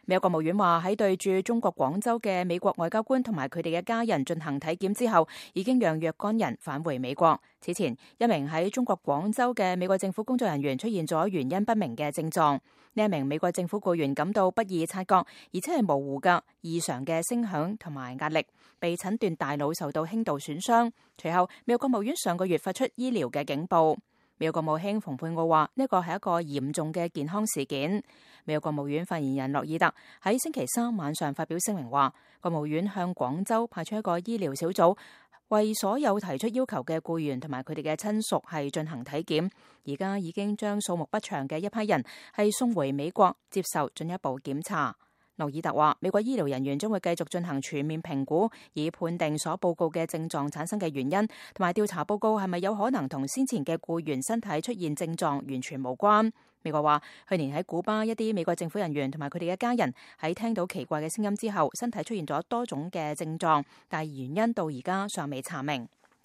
美國國務院話喺對駐中國廣州嘅美國外交官同埋佢哋嘅家人進行體檢之後，已經讓若干人返回美國。此前，一名喺中國廣州嘅美國政府工作人員出現咗原因不明嘅症狀。呢一名美國政府僱員感到不易察覺，而且係模糊嘅異常嘅聲響同埋壓力，被診斷大腦受到輕度損傷。隨後，美國國務院上個月發出醫療嘅警報。美國國務卿蓬佩奧話呢個係一個嚴重嘅健康事件。美國國務院發言人洛爾特喺星期三晚上發表聲明話，國務院向廣州派出一個醫療小組，為所有提出要求嘅僱員同埋佢哋嘅親屬係進行體檢。而家已經將數目不詳嘅一批人係送回美國接受進一步檢查。洛爾特話，美國醫療人員將會繼續進行全面評估，以判定所報告嘅症狀產生嘅原因，同埋調查報告係咪有可能同先前嘅僱員身體出現症狀完全無關。美國話，去年喺古巴一啲美國政府人員同埋佢哋嘅家人喺聽到奇怪嘅聲音之後，身體出現咗多種嘅症狀，但係原因到而家尚未查明。